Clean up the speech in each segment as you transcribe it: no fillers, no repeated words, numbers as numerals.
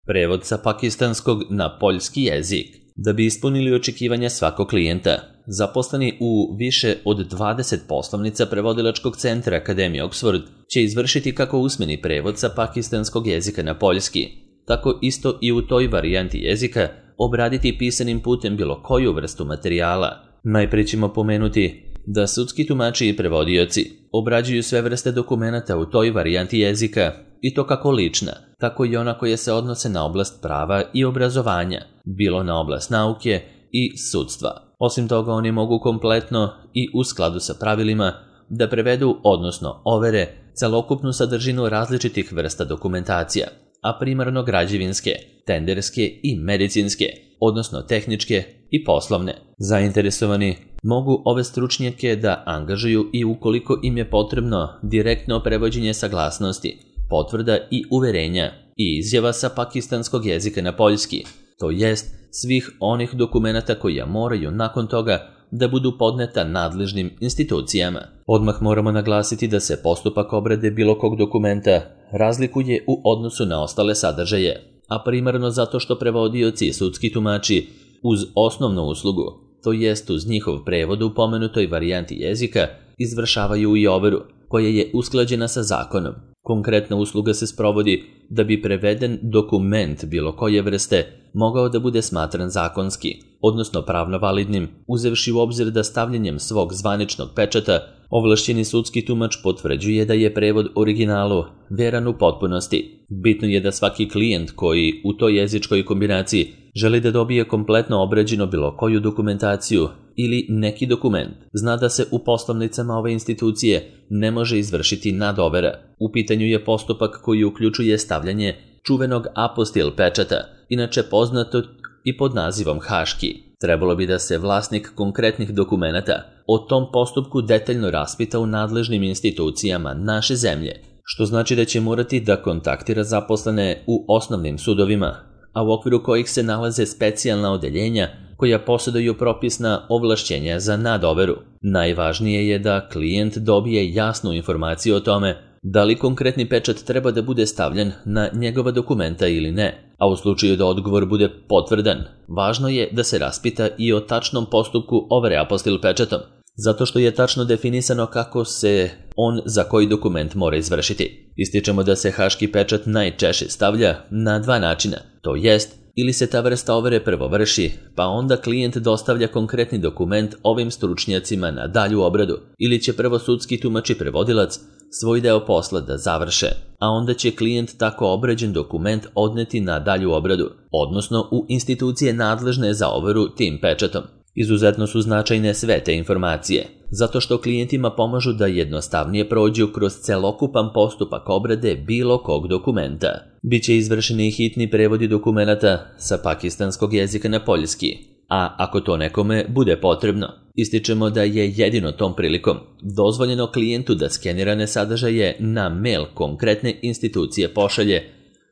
Prevod sa pakistanskog na poljski jezik. Da bi ispunili očekivanja svakog klijenta, zaposleni u više od 20 poslovnica prevodilačkog centra Akademije Oxford će izvršiti kako usmeni prevod sa pakistanskog jezika na poljski, tako isto i u toj varijanti jezika obraditi pisanim putem bilo koju vrstu materijala. Najprije ćemo pomenuti da sudski tumači i prevodioci obrađuju sve vrste dokumenata u toj varijanti jezika, i to kako lična, tako i ona koja se odnose na oblast prava i obrazovanja, bilo na oblast nauke i sudstva. Osim toga, oni mogu kompletno i u skladu sa pravilima da prevedu, odnosno overe, celokupnu sadržinu različitih vrsta dokumentacija, a primarno građevinske, tenderske i medicinske, odnosno tehničke i poslovne. Zainteresovani mogu ove stručnjake da angažuju i ukoliko im je potrebno direktno prevođenje saglasnosti, potvrda i uverenja i izjava sa pakistanskog jezika na poljski, to jest svih onih dokumenata koja moraju nakon toga da budu podneta nadležnim institucijama. Odmah moramo naglasiti da se postupak obrade bilo kog dokumenta razlikuje u odnosu na ostale sadržaje, a primarno zato što prevodioci i sudski tumači uz osnovnu uslugu, to jest uz njihov prevod u pomenutoj varijanti jezika, izvršavaju i overu, koja je usklađena sa zakonom. Konkretna usluga se sprovodi da bi preveden dokument bilo koje vrste mogao da bude smatran zakonski, odnosno pravno validnim, uzevši u obzir da stavljanjem svog zvaničnog pečata ovlašćeni sudski tumač potvrđuje da je prevod originalu veran u potpunosti. Bitno je da svaki klijent koji u toj jezičkoj kombinaciji želi da dobije kompletno obrađeno bilo koju dokumentaciju ili neki dokument, zna da se u poslovnicama ove institucije ne može izvršiti nadovera. U pitanju je postupak koji uključuje stavljanje čuvenog apostil pečata, inače poznato i pod nazivom haški. Trebalo bi da se vlasnik konkretnih dokumenata o tom postupku detaljno raspita u nadležnim institucijama naše zemlje, što znači da će morati da kontaktira zaposlene u osnovnim sudovima, a u okviru kojih se nalaze specijalna odeljenja koja posjeduju propisna ovlašćenja za nadoveru. Najvažnije je da klijent dobije jasnu informaciju o tome da li konkretni pečat treba da bude stavljen na njegova dokumenta ili ne, a u slučaju da odgovor bude potvrdan, važno je da se raspita i o tačnom postupku overe apostil pečatom, zato što je tačno definisano kako se on za koji dokument mora izvršiti. Ističemo da se haški pečat najčešće stavlja na dva načina, to jest ili se ta vrsta overe prvo vrši, pa onda klijent dostavlja konkretni dokument ovim stručnjacima na dalju obradu, ili će prvo sudski tumač i prevodilac svoj deo posla da završe, a onda će klijent tako obrađen dokument odneti na dalju obradu, odnosno u institucije nadležne za overu tim pečatom. Izuzetno su značajne sve te informacije, zato što klijentima pomažu da jednostavnije prođu kroz celokupan postupak obrade bilo kog dokumenta. Biće izvršeni hitni prevodi dokumenata sa pakistanskog jezika na poljski, a ako to nekome bude potrebno, ističemo da je jedino tom prilikom dozvoljeno klijentu da skenirane sadržaje na mail konkretne institucije pošalje,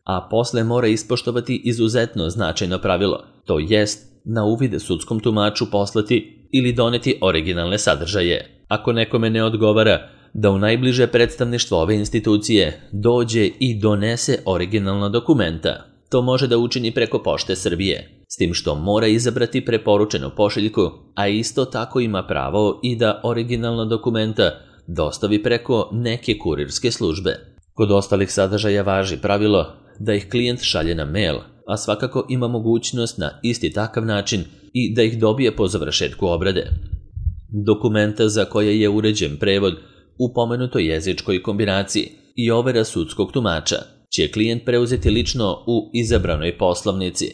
a posle mora ispoštovati izuzetno značajno pravilo, to jest na uvid sudskom tumaču poslati ili doneti originalne sadržaje. Ako nekome ne odgovara da u najbliže predstavništvo ove institucije dođe i donese originalna dokumenta, to može da učini preko Pošte Srbije, s tim što mora izabrati preporučenu pošiljku, a isto tako ima pravo i da originalna dokumenta dostavi preko neke kurirske službe. Kod ostalih sadržaja važi pravilo da ih klijent šalje na mail, a svakako ima mogućnost na isti takav način i da ih dobije po završetku obrade. Dokumenta za koje je uređen prevod u pomenutoj jezičkoj kombinaciji i overa sudskog tumača će klijent preuzeti lično u izabranoj poslovnici,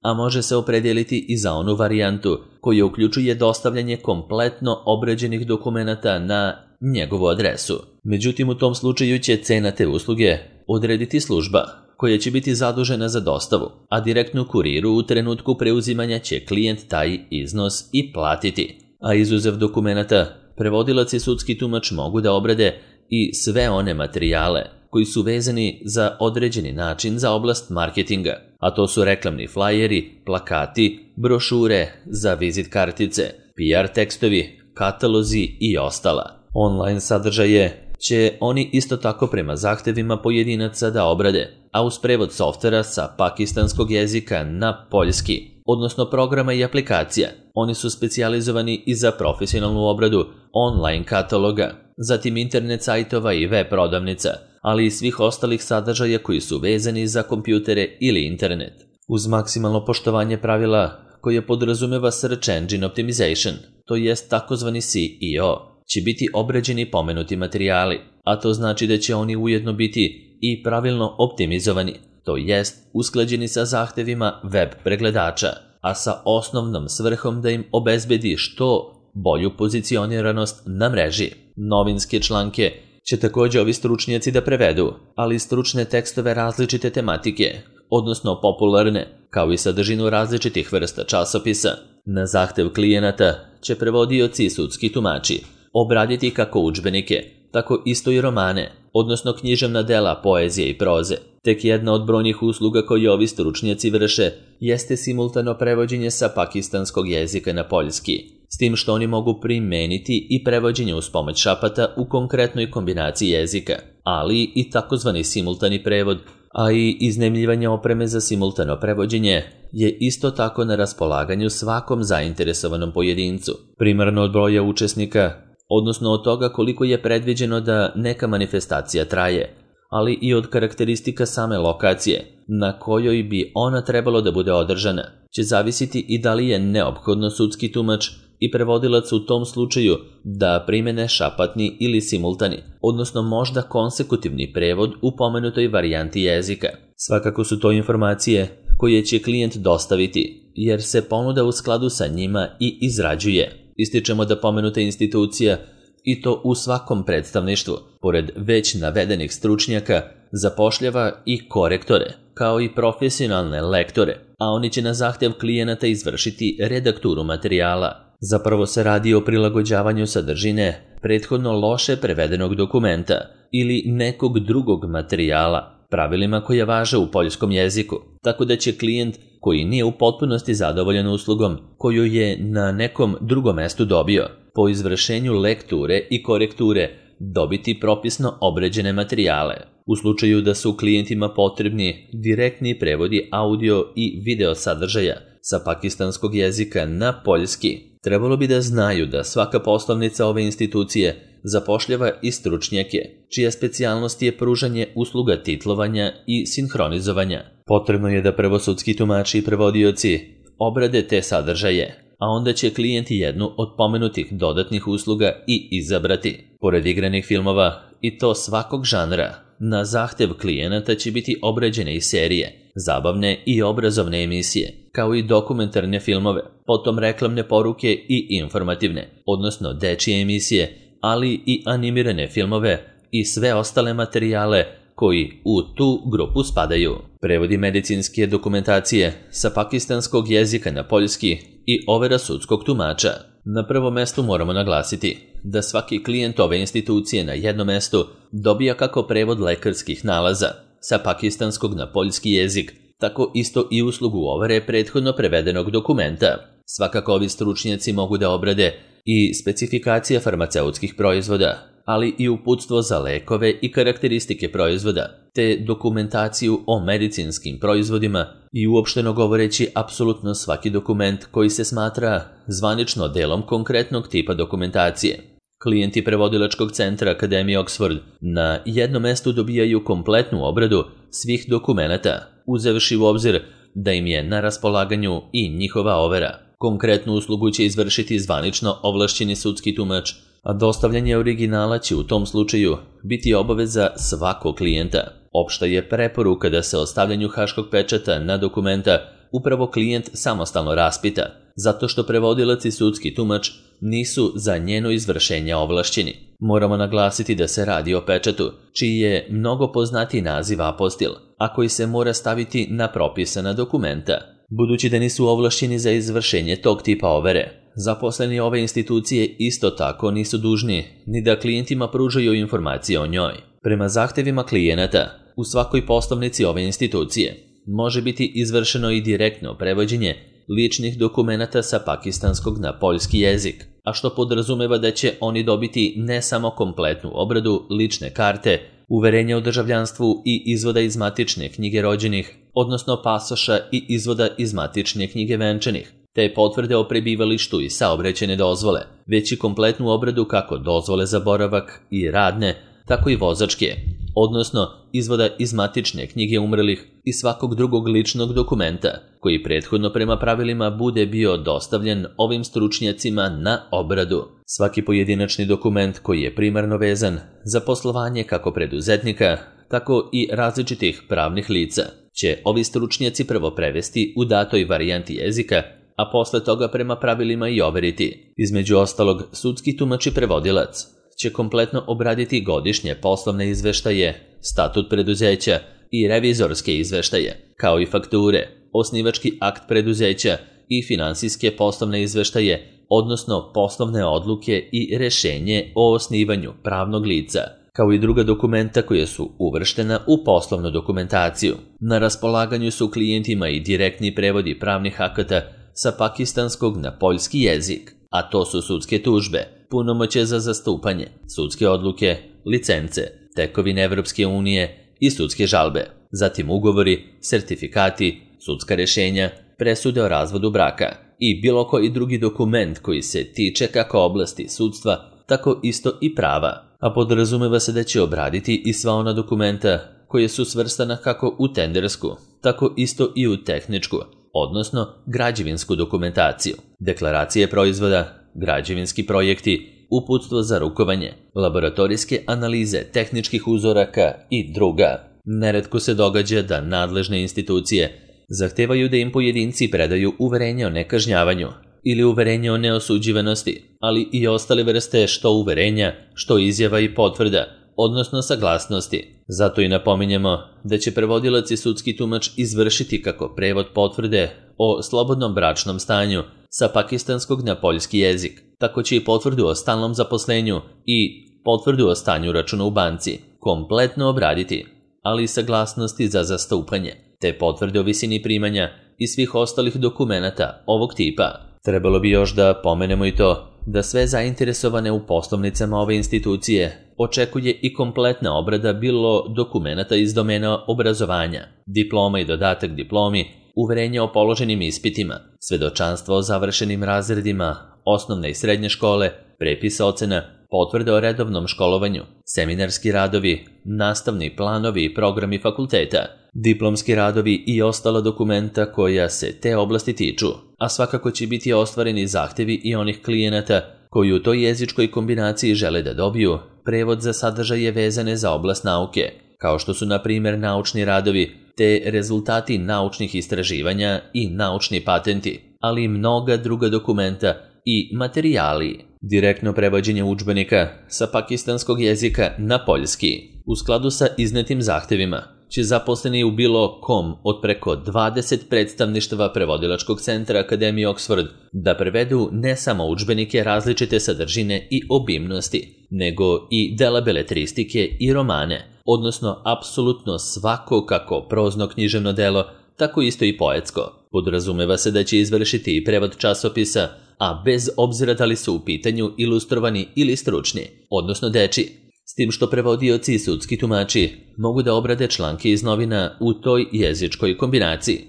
a može se opredijeliti i za onu varijantu koja uključuje dostavljanje kompletno obrađenih dokumenata na njegovu adresu. Međutim, u tom slučaju će cena te usluge odrediti služba koja će biti zadužena za dostavu, a direktno kuriru u trenutku preuzimanja će klijent taj iznos i platiti. A izuzev dokumenata, prevodilac i sudski tumač mogu da obrade i sve one materijale koji su vezani za određeni način za oblast marketinga, a to su reklamni flajeri, plakati, brošure za vizit kartice, PR tekstovi, katalozi i ostala. Online sadržaje će oni isto tako prema zahtevima pojedinaca da obrade, a uz prevod softvera sa pakistanskog jezika na poljski, odnosno programa i aplikacija. Oni su specijalizovani i za profesionalnu obradu online kataloga, zatim internet sajtova i web prodavnica, ali i svih ostalih sadržaja koji su vezani za kompjutere ili internet. Uz maksimalno poštovanje pravila koje podrazumeva Search Engine Optimization, to jest takozvani SEO, će biti obrađeni pomenuti materijali, a to znači da će oni ujedno biti i pravilno optimizovani, to jest usklađeni sa zahtevima web pregledača, a sa osnovnom svrhom da im obezbedi što bolju pozicioniranost na mreži. Novinske članke će također ovi stručnjaci da prevedu, ali stručne tekstove različite tematike, odnosno popularne, kao i sadržinu različitih vrsta časopisa. Na zahtev klijenata će prevodioci i sudski tumači obraditi kako udžbenike, tako isto i romane, odnosno književna dela poezije i proze. Tek jedna od brojnih usluga koje ovi stručnjaci vrše jeste simultano prevođenje sa pakistanskog jezika na poljski, s tim što oni mogu primeniti i prevođenje uz pomoć šapata u konkretnoj kombinaciji jezika, ali i takozvani simultani prevod, a i iznajmljivanje opreme za simultano prevođenje je isto tako na raspolaganju svakom zainteresovanom pojedincu. Primarno od broja učesnika, odnosno od toga koliko je predviđeno da neka manifestacija traje, ali i od karakteristika same lokacije na kojoj bi ona trebalo da bude održana, će zavisiti i da li je neophodno sudski tumač i prevodilac u tom slučaju da primene šapatni ili simultani, odnosno možda konsekutivni prevod u pomenutoj varijanti jezika. Svakako su to informacije koje će klijent dostaviti, jer se ponuda u skladu sa njima i izrađuje. Ističemo da pomenuta institucija, i to u svakom predstavništvu, pored već navedenih stručnjaka, zapošljava i korektore, kao i profesionalne lektore, a oni će na zahtev klijenata izvršiti redakturu materijala. Zapravo se radi o prilagođavanju sadržine prethodno loše prevedenog dokumenta ili nekog drugog materijala, pravilima koje važe u poljskom jeziku, tako da će klijent koji nije u potpunosti zadovoljan uslugom koju je na nekom drugom mestu dobio, po izvršenju lekture i korekture dobiti propisno obrađene materijale. U slučaju da su klijentima potrebni direktni prevodi audio i video sadržaja sa pakistanskog jezika na poljski, trebalo bi da znaju da svaka poslovnica ove institucije zapošljava i stručnjake, čija specijalnost je pružanje usluga titlovanja i sinhronizovanja. Potrebno je da prvo sudski tumači i prevodioci obrade te sadržaje, a onda će klijent jednu od pomenutih dodatnih usluga i izabrati. Pored igranih filmova, i to svakog žanra, na zahtev klijenata će biti obrađene i serije, zabavne i obrazovne emisije, kao i dokumentarne filmove, potom reklamne poruke i informativne, odnosno dečije emisije, ali i animirane filmove i sve ostale materijale koji u tu grupu spadaju. Prevodi medicinske dokumentacije sa pakistanskog jezika na poljski i overa sudskog tumača. Na prvom mestu moramo naglasiti da svaki klijent ove institucije na jednom mestu dobija kako prevod lekarskih nalaza sa pakistanskog na poljski jezik, tako isto i uslugu overe prethodno prevedenog dokumenta. Svakako ovi stručnjaci mogu da obrade i specifikacije farmaceutskih proizvoda, ali i uputstvo za lekove i karakteristike proizvoda, te dokumentaciju o medicinskim proizvodima i uopšteno govoreći apsolutno svaki dokument koji se smatra zvanično delom konkretnog tipa dokumentacije. Klijenti prevodilačkog centra Akademije Oxford na jednom mestu dobijaju kompletnu obradu svih dokumenata, uzevši u obzir da im je na raspolaganju i njihova overa. Konkretnu uslugu će izvršiti zvanično ovlašćeni sudski tumač, a dostavljanje originala će u tom slučaju biti obaveza svakog klijenta. Opšta je preporuka da se o stavljanju haškog pečata na dokumenta upravo klijent samostalno raspita, zato što prevodilac i sudski tumač nisu za njeno izvršenje ovlašćeni. Moramo naglasiti da se radi o pečatu, čiji je mnogo poznatiji naziv apostil, a koji se mora staviti na propisana dokumenta. Budući da nisu ovlašćeni za izvršenje tog tipa overe, zaposleni ove institucije isto tako nisu dužni ni da klijentima pružaju informacije o njoj. Prema zahtevima klijenata, u svakoj poslovnici ove institucije može biti izvršeno i direktno prevođenje ličnih dokumenata sa pakistanskog na poljski jezik. a što podrazumeva da će oni dobiti ne samo kompletnu obradu, lične karte, uverenja o državljanstvu i izvoda iz matične knjige rođenih, odnosno pasoša i izvoda iz matične knjige venčanih, te potvrde o prebivalištu i saobraćajne dozvole, već i kompletnu obradu kako dozvole za boravak i radne, tako i vozačke, odnosno izvoda iz matične knjige umrlih i svakog drugog ličnog dokumenta, koji prethodno prema pravilima bude bio dostavljen ovim stručnjacima na obradu. Svaki pojedinačni dokument koji je primarno vezan za poslovanje kako preduzetnika, tako i različitih pravnih lica, će ovi stručnjaci prvo prevesti u datoj varijanti jezika, a posle toga prema pravilima i overiti. Između ostalog, sudski tumač i prevodilac će kompletno obraditi godišnje poslovne izveštaje, statut preduzeća i revizorske izveštaje, kao i fakture, osnivački akt preduzeća i finansijske poslovne izveštaje, odnosno poslovne odluke i rešenje o osnivanju pravnog lica, kao i druga dokumenta koje su uvrštena u poslovnu dokumentaciju. Na raspolaganju su klijentima i direktni prevodi pravnih akata sa pakistanskog na poljski jezik, a to su sudske tužbe, punomoćje za zastupanje, sudske odluke, licence, tekovine Evropske unije i sudske žalbe, zatim ugovori, sertifikati, sudska rešenja, presude o razvodu braka i bilo koji drugi dokument koji se tiče kako oblasti sudstva, tako isto i prava, a podrazumeva se da će obraditi i sva ona dokumenta koje su svrstana kako u tendersku, tako isto i u tehničku, odnosno građevinsku dokumentaciju, deklaracije proizvoda, građevinski projekti, uputstvo za rukovanje, laboratorijske analize tehničkih uzoraka i druga. Neretko se događa da nadležne institucije zahtevaju da im pojedinci predaju uverenje o nekažnjavanju ili uverenje o neosuđivanosti, ali i ostale vrste što uverenja, što izjava i potvrda, odnosno saglasnosti. Zato i napominjemo da će prevodilac i sudski tumač izvršiti kako prevod potvrde o slobodnom bračnom stanju sa pakistanskog na poljski jezik, tako će i potvrdu o stalnom zaposlenju i potvrdu o stanju računa u banci kompletno obraditi, ali i saglasnosti za zastupanje, te potvrde o visini primanja i svih ostalih dokumenata ovog tipa. Trebalo bi još da pomenemo i to da sve zainteresovane u poslovnicama ove institucije očekuje i kompletna obrada bilo dokumenata iz domena obrazovanja, diploma i dodatak diplomi, uverenje o položenim ispitima, svedočanstvo o završenim razredima, osnovne i srednje škole, prepis ocena, potvrde o redovnom školovanju, seminarski radovi, nastavni planovi i programi fakulteta, diplomski radovi i ostala dokumenta koja se te oblasti tiču, a svakako će biti ostvareni zahtevi i onih klijenata koji u toj jezičkoj kombinaciji žele da dobiju prevod za sadržaje vezane za oblast nauke, kao što su na primjer naučni radovi, te rezultati naučnih istraživanja i naučni patenti, ali i mnoga druga dokumenta i materijali. Direktno prevođenje udžbenika sa pakistanskog jezika na poljski. U skladu sa iznetim zahtevima će zaposleni u bilo kom od preko 20 predstavništava prevodilačkog centra Akademije Oxford da prevedu ne samo udžbenike različite sadržine i obimnosti, nego i dela beletristike i romane, odnosno apsolutno svako kako prozno književno delo, tako isto i poetsko. Podrazumeva se da će izvršiti i prevod časopisa, a bez obzira da li su u pitanju ilustrovani ili stručni, odnosno dečiji, s tim što prevodioci i sudski tumači mogu da obrade članke iz novina u toj jezičkoj kombinaciji.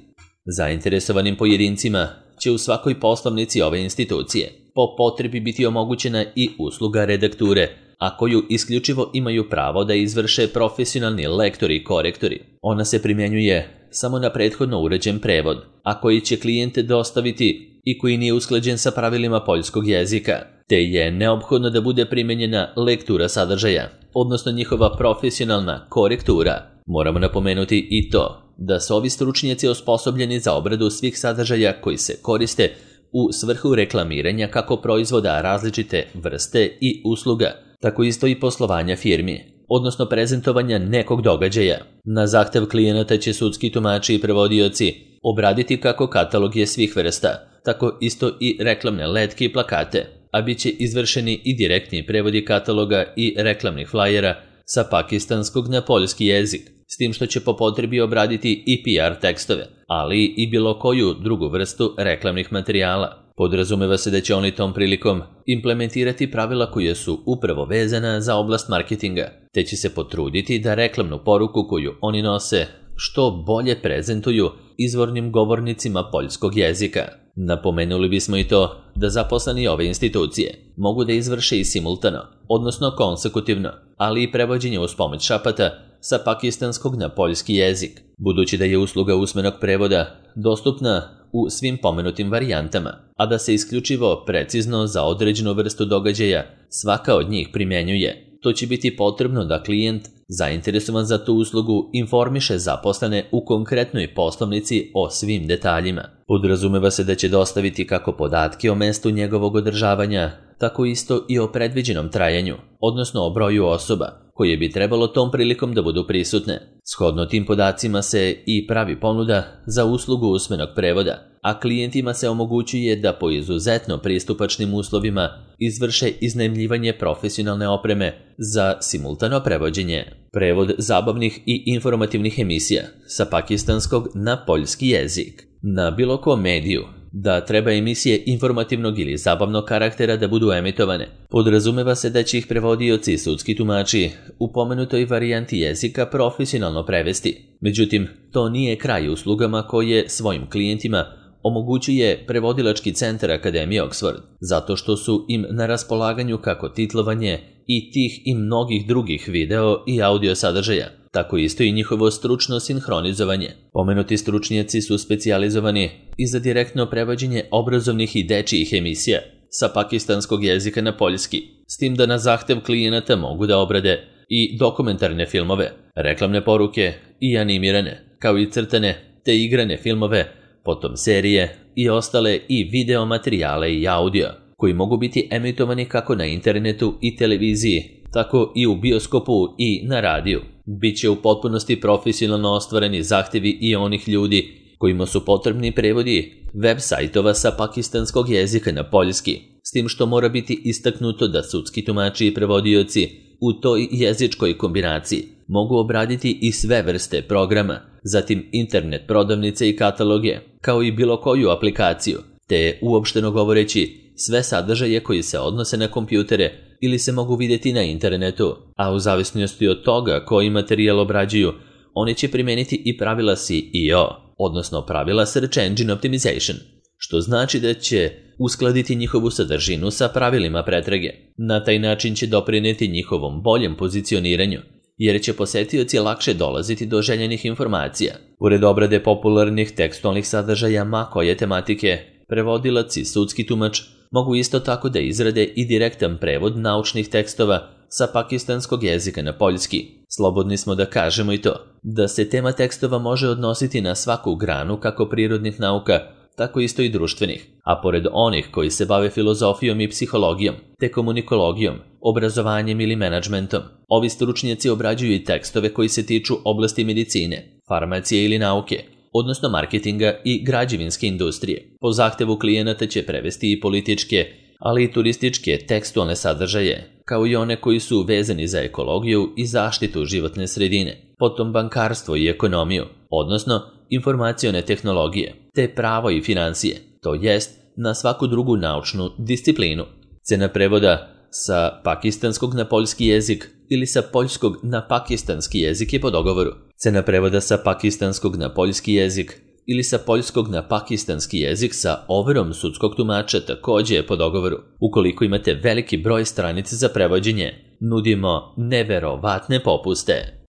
Zainteresovanim pojedincima će u svakoj poslovnici ove institucije po potrebi biti omogućena i usluga redakture, a koju isključivo imaju pravo da izvrše profesionalni lektori i korektori. Ona se primjenjuje samo na prethodno uređen prevod, a koji će klijente dostaviti i koji nije usklađen sa pravilima poljskog jezika, te je neophodno da bude primenjena lektura sadržaja, odnosno njihova profesionalna korektura. Moramo napomenuti i to da su ovi stručnjaci osposobljeni za obradu svih sadržaja koji se koriste u svrhu reklamiranja kako proizvoda različite vrste i usluga, tako isto i poslovanja firmi, odnosno prezentovanja nekog događaja. Na zahtev klijenata će sudski tumači i prevodioci obraditi kako katalog je svih vrsta, tako isto i reklamne letke i plakate, a bit će izvršeni i direktni prevodi kataloga i reklamnih flajera sa pakistanskog na poljski jezik, s tim što će po potrebi obraditi i PR tekstove, ali i bilo koju drugu vrstu reklamnih materijala. Podrazumeva se da će oni tom prilikom implementirati pravila koje su upravo vezana za oblast marketinga, te će se potruditi da reklamnu poruku koju oni nose što bolje prezentuju izvornim govornicima poljskog jezika. Napomenuli bismo i to da zaposleni ove institucije mogu da izvrše i simultano, odnosno konsekutivno, ali i prevođenje uz pomoć šapata sa pakistanskog na poljski jezik, budući da je usluga usmenog prevoda dostupna u svim pomenutim varijantama, a da se isključivo precizno za određenu vrstu događaja svaka od njih primjenjuje. To će biti potrebno da klijent zainteresovan za tu uslugu informiše zaposlene u konkretnoj poslovnici o svim detaljima. Podrazumeva se da će dostaviti kako podatke o mestu njegovog održavanja, tako isto i o predviđenom trajanju, odnosno o broju osoba koje bi trebalo tom prilikom da budu prisutne. Shodno tim podacima se i pravi ponuda za uslugu usmenog prevoda, a klijentima se omogućuje da po izuzetno pristupačnim uslovima izvrše iznajmljivanje profesionalne opreme za simultano prevođenje. Prevod zabavnih i informativnih emisija sa pakistanskog na poljski jezik. Na bilo kom mediju da treba emisije informativnog ili zabavnog karaktera da budu emitovane, podrazumeva se da će ih prevodioci i sudski tumači u pomenutoj varijanti jezika profesionalno prevesti. Međutim, to nije kraj uslugama koje svojim klijentima omogućuje prevodilački centar Akademije Oxford, zato što su im na raspolaganju kako titlovanje i tih i mnogih drugih video i audio sadržaja, tako isto i njihovo stručno sinhronizovanje. Pomenuti stručnjaci su specijalizovani i za direktno prevođenje obrazovnih i dečijih emisija sa pakistanskog jezika na poljski, s tim da na zahtev klijenata mogu da obrade i dokumentarne filmove, reklamne poruke i animirane, kao i crtane te igrane filmove, potom serije i ostale i video materijale i audio, koji mogu biti emitovani kako na internetu i televiziji, tako i u bioskopu i na radiju. Biće u potpunosti profesionalno ostvareni zahtevi i onih ljudi kojima su potrebni prevodi web sajtova sa pakistanskog jezika na poljski, s tim što mora biti istaknuto da sudski tumači i prevodioci u toj jezičkoj kombinaciji mogu obraditi i sve vrste programa, zatim internet prodavnice i kataloge, kao i bilo koju aplikaciju, te uopšteno govoreći sve sadržaje koji se odnose na kompjutere ili se mogu vidjeti na internetu, a u zavisnosti od toga koji materijal obrađuju, oni će primeniti i pravila SEO, odnosno pravila Search Engine Optimization, što znači da će uskladiti njihovu sadržinu sa pravilima pretrage. Na taj način će doprineti njihovom boljem pozicioniranju, jer će posetioci lakše dolaziti do željenih informacija. Pored obrade popularnih tekstualnih sadržaja ma koje tematike, prevodilac i sudski tumač mogu isto tako da izrade i direktan prevod naučnih tekstova sa pakistanskog jezika na poljski. Slobodni smo da kažemo i to, da se tema tekstova može odnositi na svaku granu kako prirodnih nauka, tako isto i društvenih, a pored onih koji se bave filozofijom i psihologijom, te komunikologijom, obrazovanjem ili menadžmentom, ovi stručnjaci obrađuju i tekstove koji se tiču oblasti medicine, farmacije ili nauke, odnosno marketinga i građevinske industrije. Po zahtevu klijenata će prevesti i političke, ali i turističke tekstualne sadržaje, kao i one koji su vezani za ekologiju i zaštitu životne sredine, potom bankarstvo i ekonomiju, odnosno informacione tehnologije, te pravo i financije, to jest na svaku drugu naučnu disciplinu. Cena prevoda sa pakistanskog na poljski jezik ili sa poljskog na pakistanski jezik je po dogovoru. Cena prevoda sa pakistanskog na poljski jezik ili sa poljskog na pakistanski jezik sa overom sudskog tumača također je po dogovoru. Ukoliko imate veliki broj stranica za prevođenje, nudimo neverovatne popuste.